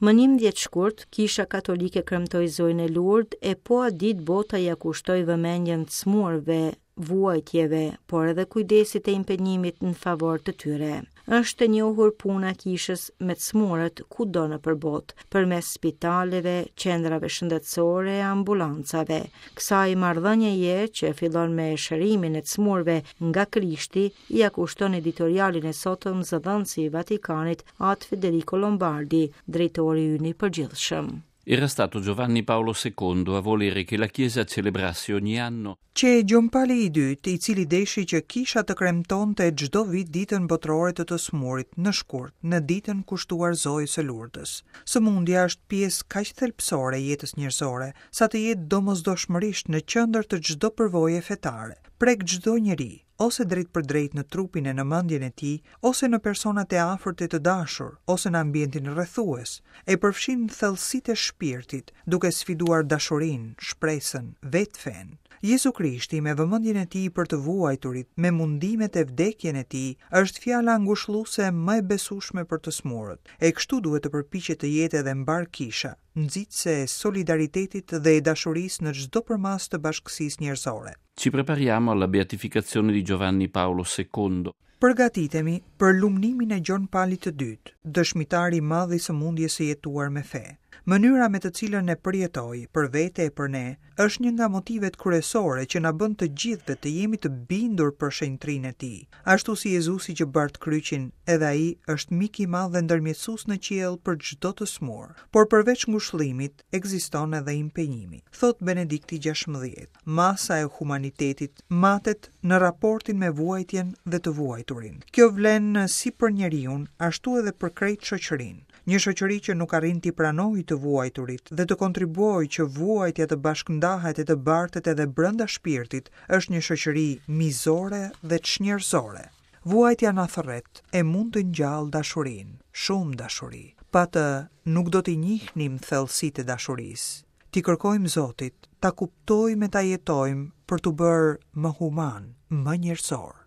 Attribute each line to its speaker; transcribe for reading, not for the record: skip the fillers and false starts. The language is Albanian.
Speaker 1: Më 11 shkurt, Kisha Katolike kremtoi Zojën e Lurdë e po atë ditë bota ia kushtoi vëmendjen të sëmurëve, vuajtjeve, por edhe kujdesit e impenjimit në favor të tyre. Është e njohur puna e kishës me të sëmurët kudo nëpër botë, përmes spitaleve, qendrave shëndetësore e ambulancave. Kësaj marrëdhënieje që fillon me shërimin e të sëmurëve nga Krishti, ia kushton editorialin e sotëm zëdhënësi i Vatikanit, Atë Federico Lombardi, drejtori ynë i përgjithshëm.
Speaker 2: Era stato Giovanni Paolo II a volere che la Chiesa celebrasse ogni anno
Speaker 3: Qe Gjon Pali i Dytë, i cili deshi që Kisha të kremtonte çdo vit Ditën Botërore të të Sëmurit, në shkurt, në ditën kushtuar Zojës së Lurdës. Sëmundja është pjesë kaq thelbësore e jetës njerëzore, sa të jetë domosdoshmërisht në qendër të çdo përvoje fetare. Prek çdo njeri, ose drejtpërdrejt në trupin e në mendjen e tij, ose në personat e afërt e të dashur, ose në ambientin rrethues, e përfshin thellësitë e shpirtit, duke sfiduar dashurinë, shpresën, vetë fenë. Jezu Krishti, me vëmendjen e tij për të vuajturit, me mundimet e vdekjen e tij, është fjala ngushëlluese më e besueshme për të sëmurët. E kështu duhet të përpiqet të jetë edhe mbarë Kisha, nxitëse e solidaritetit dhe e dashurisë në çdo përmasë të bashkësisë njerëzore.
Speaker 2: Ci prepariamo alla beatificazione di Giovanni Paolo II.
Speaker 3: Përgatitemi për lumnimin e Gjon Palit të Dytë, dëshmitar i madh i sëmundjes së jetuar me fe. Mënyra me të cilën e përjetoi, për vete e për ne, është një nga motivet kryesore që na bën të gjithëve të jemi të bindur për shenjtërinë e tij. Ashtu si Jezusi që bart kryqin, edhe ai është mik i madh dhe ndërmjetësues në qiell për çdo të sëmurë. Por përveç ngushëllimit, ekziston edhe impenjimi, thotë Benedikti 16. Masa e humanitetit matet në raportin me vuajtjen dhe të vuajturin. Kjo vlen si për njeriun, ashtu edhe për krejt shoqërinë. Një shoqëri që nuk arrin t'i pranojë të vuajturit dhe të kontribuojë që vuajtja të bashkëndahet e të bartet edhe brenda shpirtit, është një shoqëri mizore dhe çnjerëzore. Vuajtja na thërret e mund të ngjallë dashurinë, shumë dashuri. Pa të nuk do t'i njihnim thellësitë e dashurisë. T'i kërkojmë Zotit, ta kuptojmë e ta jetojmë për t'u bërë më humanë, më njerëzorë.